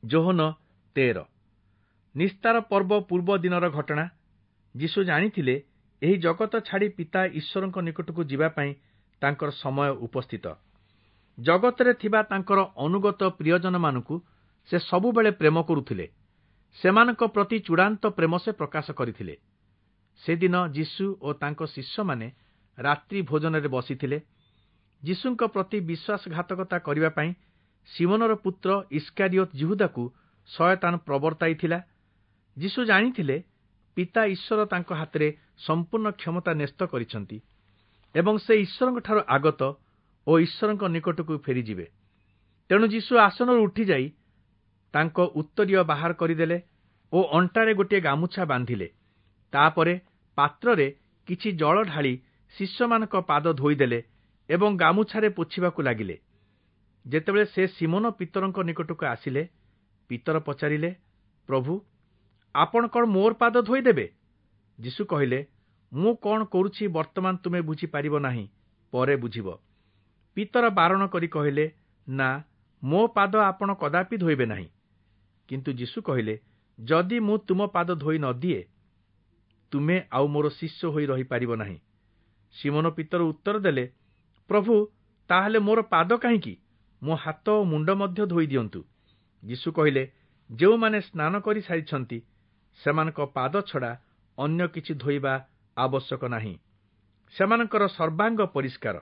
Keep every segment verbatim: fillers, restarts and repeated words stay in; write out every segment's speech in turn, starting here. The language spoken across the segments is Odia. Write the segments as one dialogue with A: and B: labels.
A: ଯୋହନ ତେର। ନିସ୍ତାର ପର୍ବ ପୂର୍ବ ଦିନର ଘଟଣା। ଯୀଶୁ ଜାଣିଥିଲେ ଏହି ଜଗତ ଛାଡ଼ି ପିତା ଈଶ୍ୱରଙ୍କ ନିକଟକୁ ଯିବା ପାଇଁ ତାଙ୍କର ସମୟ ଉପସ୍ଥିତ। ଜଗତରେ ଥିବା ତାଙ୍କର ଅନୁଗତ ପ୍ରିୟଜନମାନଙ୍କୁ ସେ ସବୁବେଳେ ପ୍ରେମ କରୁଥିଲେ। ସେମାନଙ୍କ ପ୍ରତି ଚୂଡ଼ାନ୍ତ ପ୍ରେମ ସେ ପ୍ରକାଶ କରିଥିଲେ। ସେଦିନ ଯୀଶୁ ଓ ତାଙ୍କ ଶିଷ୍ୟମାନେ ରାତ୍ରି ଭୋଜନରେ ବସିଥିଲେ। ଯୀଶୁଙ୍କ ପ୍ରତି ବିଶ୍ୱାସଘାତକତା କରିବା ପାଇଁ ଶିମୋନର ପୁତ୍ର ଇଷ୍କାରିୟୋତ ଯିହୁଦାକୁ ଶୟତାନ ପ୍ରବର୍ତ୍ତାଇଥିଲା। ଯୀଶୁ ଜାଣିଥିଲେ ପିତା ଈଶ୍ୱର ତାଙ୍କ ହାତରେ ସମ୍ପୂର୍ଣ୍ଣ କ୍ଷମତା ନ୍ୟସ୍ତ କରିଛନ୍ତି ଏବଂ ସେ ଈଶ୍ୱରଙ୍କଠାରୁ ଆଗତ ଓ ଈଶ୍ୱରଙ୍କ ନିକଟକୁ ଫେରିଯିବେ। ତେଣୁ ଯୀଶୁ ଆସନରୁ ଉଠିଯାଇ ତାଙ୍କ ଉତ୍ତରୀୟ ବାହାର କରିଦେଲେ ଓ ଅଣ୍ଟାରେ ଗୋଟିଏ ଗାମୁଛା ବାନ୍ଧିଲେ। ତାପରେ ପାତ୍ରରେ କିଛି ଜଳ ଢାଳି ଶିଷ୍ୟମାନଙ୍କ ପାଦ ଧୋଇଦେଲେ ଏବଂ ଗାମୁଛାରେ ପୋଛିବାକୁ ଲାଗିଲେ। ଯେତେବେଳେ ସେ ଶିମୋନ ପିତରଙ୍କ ନିକଟକୁ ଆସିଲେ, ପିତର ପଚାରିଲେ, ପ୍ରଭୁ, ଆପଣ କ'ଣ ମୋର ପାଦ ଧୋଇଦେବେ? ଯୀଶୁ କହିଲେ, ମୁଁ କ'ଣ କରୁଛି ବର୍ତ୍ତମାନ ତୁମେ ବୁଝିପାରିବ ନାହିଁ, ପରେ ବୁଝିବ। ପିତର ବାରଣ କରି କହିଲେ, ନା, ମୋ ପାଦ ଆପଣ କଦାପି ଧୋଇବେ ନାହିଁ। କିନ୍ତୁ ଯୀଶୁ କହିଲେ, ଯଦି ମୁଁ ତୁମ ପାଦ ଧୋଇ ନ ଦିଏ, ତୁମେ ଆଉ ମୋର ଶିଷ୍ୟ ହୋଇ ରହିପାରିବ ନାହିଁ। ଶିମୋନ ପିତର ଉତ୍ତର ଦେଲେ, ପ୍ରଭୁ, ତାହେଲେ ମୋର ପାଦ କାହିଁକି? ମୋ ହାତ ଓ ମୁଣ୍ଡ ମଧ୍ୟ ଧୋଇ ଦିଅନ୍ତୁ। ଯୀଶୁ କହିଲେ, ଯେଉଁମାନେ ସ୍ନାନ କରିସାରିଛନ୍ତି ସେମାନଙ୍କ ପାଦ ଛଡ଼ା ଅନ୍ୟ କିଛି ଧୋଇବା ଆବଶ୍ୟକ ନାହିଁ। ସେମାନଙ୍କର ସର୍ବାଙ୍ଗ ପରିଷ୍କାର।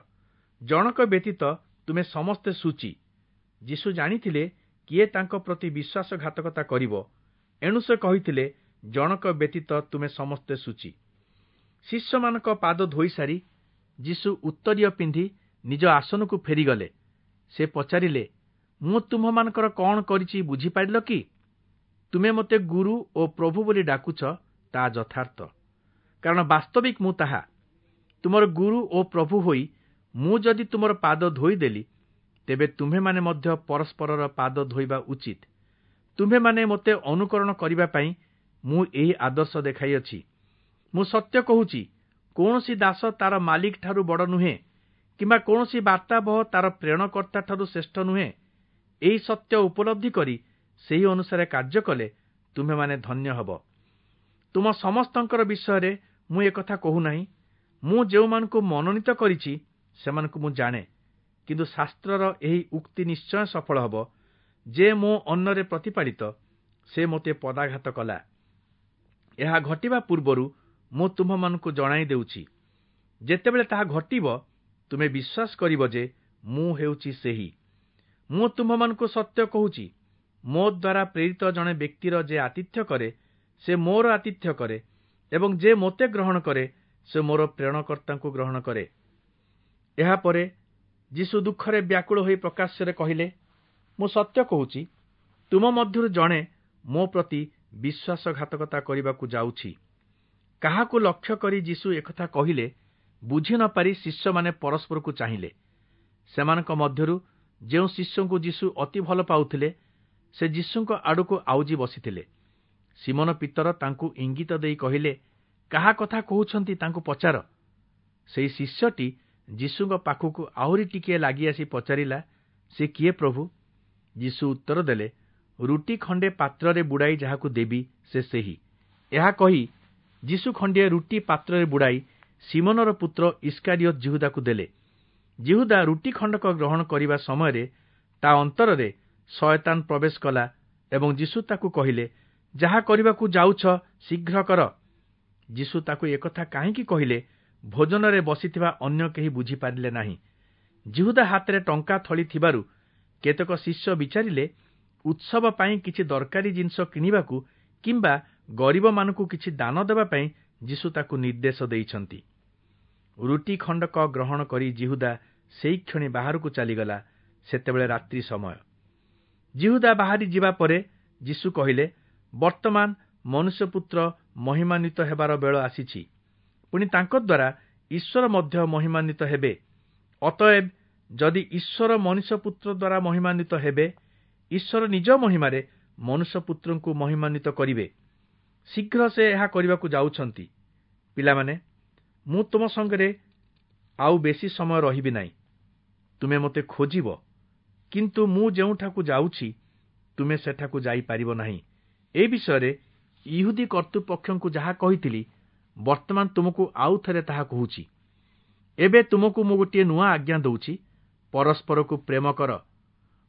A: ଜଣକ ବ୍ୟତୀତ ତୁମେ ସମସ୍ତେ ଶୁଚି। ଯୀଶୁ ଜାଣିଥିଲେ କିଏ ତାଙ୍କ ପ୍ରତି ବିଶ୍ୱାସଘାତକତା କରିବ, ଏଣୁ ସେ କହିଥିଲେ, ଜଣକ ବ୍ୟତୀତ ତୁମେ ସମସ୍ତେ ଶୁଚି। ଶିଷ୍ୟମାନଙ୍କ ପାଦ ଧୋଇସାରି ଯୀଶୁ ଉତ୍ତରୀୟ ପିନ୍ଧି ନିଜ ଆସନକୁ ଫେରିଗଲେ। ସେ ପଚାରିଲେ, ମୁଁ ତୁମ୍ଭମାନଙ୍କର କ'ଣ କରିଛି ବୁଝିପାରିଲ କି? ତୁମେ ମୋତେ ଗୁରୁ ଓ ପ୍ରଭୁ ବୋଲି ଡାକୁଛ, ତାହା ଯଥାର୍ଥ, କାରଣ ବାସ୍ତବିକ ମୁଁ ତାହା। ତୁମର ଗୁରୁ ଓ ପ୍ରଭୁ ହୋଇ ମୁଁ ଯଦି ତୁମର ପାଦ ଧୋଇଦେଲି, ତେବେ ତୁମ୍ଭେମାନେ ମଧ୍ୟ ପରସ୍ପରର ପାଦ ଧୋଇବା ଉଚିତ। ତୁମ୍ଭେମାନେ ମୋତେ ଅନୁକରଣ କରିବା ପାଇଁ ମୁଁ ଏହି ଆଦର୍ଶ ଦେଖାଇଅଛି। ମୁଁ ସତ୍ୟ କହୁଛି, କୌଣସି ଦାସ ତାର ମାଲିକଠାରୁ ବଡ଼ ନୁହେଁ, କିମ୍ବା କୌଣସି ବାର୍ତ୍ତାବହ ତାର ପ୍ରେରଣକର୍ତ୍ତାଠାରୁ ଶ୍ରେଷ୍ଠ ନୁହେଁ। ଏହି ସତ୍ୟ ଉପଲବ୍ଧି କରି ସେହି ଅନୁସାରେ କାର୍ଯ୍ୟ କଲେ ତୁମ୍ଭେମାନେ ଧନ୍ୟ ହେବ। ତୁମ ସମସ୍ତଙ୍କର ବିଷୟରେ ମୁଁ ଏକଥା କହୁନାହିଁ। ମୁଁ ଯେଉଁମାନଙ୍କୁ ମନୋନୀତ କରିଛି ସେମାନଙ୍କୁ ମୁଁ ଜାଣେ। କିନ୍ତୁ ଶାସ୍ତ୍ରର ଏହି ଉକ୍ତି ନିଶ୍ଚୟ ସଫଳ ହେବ, ଯେ ମୋ ଅନ୍ନରେ ପ୍ରତିପାଳିତ, ସେ ମୋତେ ପଦାଘାତ କଲା। ଏହା ଘଟିବା ପୂର୍ବରୁ ମୁଁ ତୁମ୍ଭମାନଙ୍କୁ ଜଣାଇ ଦେଉଛି। ଯେତେବେଳେ ତାହା ଘଟିବ, ତୁମେ ବିଶ୍ୱାସ କରିବ ଯେ ମୁଁ ହେଉଛି ସେହି। ମୁଁ ତୁମ୍ଭମାନଙ୍କୁ ସତ୍ୟ କହୁଛି, ମୋ ଦ୍ୱାରା ପ୍ରେରିତ ଜଣେ ବ୍ୟକ୍ତିର ଯେ ଆତିଥ୍ୟ କରେ, ସେ ମୋର ଆତିଥ୍ୟ କରେ, ଏବଂ ଯେ ମୋତେ ଗ୍ରହଣ କରେ, ସେ ମୋର ପ୍ରେରଣକର୍ତ୍ତାଙ୍କୁ ଗ୍ରହଣ କରେ। ଏହାପରେ ଯୀଶୁ ଦୁଃଖରେ ବ୍ୟାକୁଳ ହୋଇ ପ୍ରକାଶ୍ୟରେ କହିଲେ, ମୁଁ ସତ୍ୟ କହୁଛି, ତୁମ ମଧ୍ୟରୁ ଜଣେ ମୋ ପ୍ରତି ବିଶ୍ୱାସଘାତକତା କରିବାକୁ ଯାଉଛି। କାହାକୁ ଲକ୍ଷ୍ୟ କରି ଯୀଶୁ ଏକଥା କହିଲେ ବୁଝି ନ ପାରି ଶିଷ୍ୟମାନେ ପରସ୍ପରକୁ ଚାହିଁଲେ। ସେମାନଙ୍କ ମଧ୍ୟରୁ ଯେଉଁ ଶିଷ୍ୟଙ୍କୁ ଯୀଶୁ ଅତି ଭଲ ପାଉଥିଲେ, ସେ ଯୀଶୁଙ୍କ ଆଡ଼କୁ ଆଉଜି ବସିଥିଲେ। ଶିମୋନ ପିତର ତାଙ୍କୁ ଇଙ୍ଗିତ ଦେଇ କହିଲେ, କାହା କଥା କହୁଛନ୍ତି ତାଙ୍କୁ ପଚାର। ସେହି ଶିଷ୍ୟଟି ଯୀଶୁଙ୍କ ପାଖକୁ ଆହୁରି ଟିକିଏ ଲାଗି ଆସି ପଚାରିଲା, ସେ କିଏ ପ୍ରଭୁ? ଯୀଶୁ ଉତ୍ତର ଦେଲେ, ରୁଟି ଖଣ୍ଡେ ପାତ୍ରରେ ବୁଡ଼ାଇ ଯାହାକୁ ଦେବି ସେ ସେହି। ଏହା କହି ଯୀଶୁ ଖଣ୍ଡିଏ ରୁଟି ପାତ୍ରରେ ବୁଡ଼ାଇ ଶିମୋନର ପୁତ୍ର ଇଷ୍କାରିୟୋତ ଯିହୁଦାକୁ ଦେଲେ। ଯିହୁଦା ରୁଟି ଖଣ୍ଡକ ଗ୍ରହଣ କରିବା ସମୟରେ ତା ଅନ୍ତରରେ ଶୟତାନ ପ୍ରବେଶ କଲା ଏବଂ ଯୀଶୁ ତାକୁ କହିଲେ, ଯାହା କରିବାକୁ ଯାଉଛ ଶୀଘ୍ର କର। ଯୀଶୁ ତାକୁ ଏକଥା କାହିଁକି କହିଲେ ଭୋଜନରେ ବସିଥିବା ଅନ୍ୟ କେହି ବୁଝିପାରିଲେ ନାହିଁ। ଯିହୁଦା ହାତରେ ଟଙ୍କା ଥଳି ଥିବାରୁ କେତେକ ଶିଷ୍ୟ ବିଚାରିଲେ ଉତ୍ସବ ପାଇଁ କିଛି ଦରକାରୀ ଜିନିଷ କିଣିବାକୁ କିମ୍ବା ଗରିବମାନଙ୍କୁ କିଛି ଦାନ ଦେବା ପାଇଁ ଯୀଶୁ ତାକୁ ନିର୍ଦ୍ଦେଶ ଦେଇଛନ୍ତି। ରୁଟି ଖଣ୍ଡକ ଗ୍ରହଣ କରି ଯିହୁଦା ସେହିକ୍ଷଣି ବାହାରକୁ ଚାଲିଗଲା। ସେତେବେଳେ ରାତ୍ରି ସମୟ। ଯିହୁଦା ବାହାରି ଯିବା ପରେ ଯୀଶୁ କହିଲେ, ବର୍ତ୍ତମାନ ମନୁଷ୍ୟପୁତ୍ର ମହିମାନ୍ୱିତ ହେବାର ବେଳ ଆସିଛି, ପୁଣି ତାଙ୍କ ଦ୍ୱାରା ଈଶ୍ୱର ମଧ୍ୟ ମହିମାନ୍ୱିତ ହେବେ। ଅତଏବ ଯଦି ଈଶ୍ୱର ମନୁଷ୍ୟପୁତ୍ର ଦ୍ୱାରା ମହିମାନ୍ୱିତ ହେବେ, ଈଶ୍ୱର ନିଜ ମହିମାରେ ମନୁଷ୍ୟପୁତ୍ରଙ୍କୁ ମହିମାନ୍ୱିତ କରିବେ। ଶୀଘ୍ର ସେ ଏହା କରିବାକୁ ଯାଉଛନ୍ତି। ପିଲାମାନେ, ମୁଁ ତୁମ ସଙ୍ଗରେ ଆଉ ବେଶୀ ସମୟ ରହିବି ନାହିଁ। ତୁମେ ମୋତେ ଖୋଜିବ, କିନ୍ତୁ ମୁଁ ଯେଉଁଠାକୁ ଯାଉଛି ତୁମେ ସେଠାକୁ ଯାଇପାରିବ ନାହିଁ। ଏ ବିଷୟରେ ଇହୁଦୀ କର୍ତ୍ତୃପକ୍ଷଙ୍କୁ ଯାହା କହିଥିଲି, ବର୍ତ୍ତମାନ ତୁମକୁ ଆଉ ଥରେ ତାହା କହୁଛି। ଏବେ ତୁମକୁ ମୁଁ ଗୋଟିଏ ନୂଆ ଆଜ୍ଞା ଦେଉଛି, ପରସ୍ପରକୁ ପ୍ରେମ କର।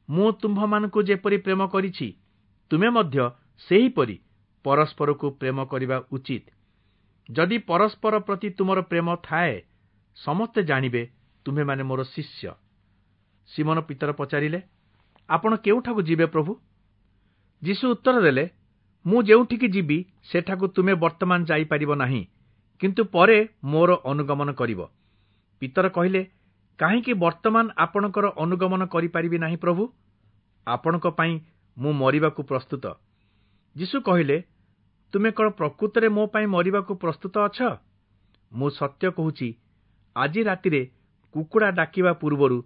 A: ମୁଁ ତୁମ୍ଭମାନଙ୍କୁ ଯେପରି ପ୍ରେମ କରିଛି, ତୁମେ ମଧ୍ୟ ସେହିପରି ପରସ୍ପରକୁ ପ୍ରେମ କରିବା ଉଚିତ। ଯଦି ପରସ୍ପର ପ୍ରତି ତୁମର ପ୍ରେମ ଥାଏ, ସମସ୍ତେ ଜାଣିବେ ତୁମ୍ଭେମାନେ ମୋର ଶିଷ୍ୟ। ସିମନ ପିତର ପଚାରିଲେ, ଆପଣ କେଉଁଠାକୁ ଯିବେ ପ୍ରଭୁ? ଯୀଶୁ ଉତ୍ତର ଦେଲେ, ମୁଁ ଯେଉଁଠିକି ଯିବି ସେଠାକୁ ତୁମେ ବର୍ତ୍ତମାନ ଯାଇପାରିବ ନାହିଁ, କିନ୍ତୁ ପରେ ମୋର ଅନୁଗମନ କରିବ। ପିତର କହିଲେ, କାହିଁକି ବର୍ତ୍ତମାନ ଆପଣଙ୍କର ଅନୁଗମନ କରିପାରିବି ନାହିଁ ପ୍ରଭୁ? ଆପଣଙ୍କ ପାଇଁ ମୁଁ ମରିବାକୁ ପ୍ରସ୍ତୁତ। ଯୀଶୁ କହିଲେ, ତୁମେ କ'ଣ ପ୍ରକୃତରେ ମୋ ପାଇଁ ମରିବାକୁ ପ୍ରସ୍ତୁତ ଅଛ? ମୁଁ ସତ୍ୟ କହୁଛି, ଆଜି ରାତିରେ କୁକୁଡ଼ା ଡାକିବା ପୂର୍ବରୁ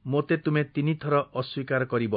A: ମୋତେ ତୁମେ ତିନିଥର ଅସ୍ୱୀକାର କରିବ।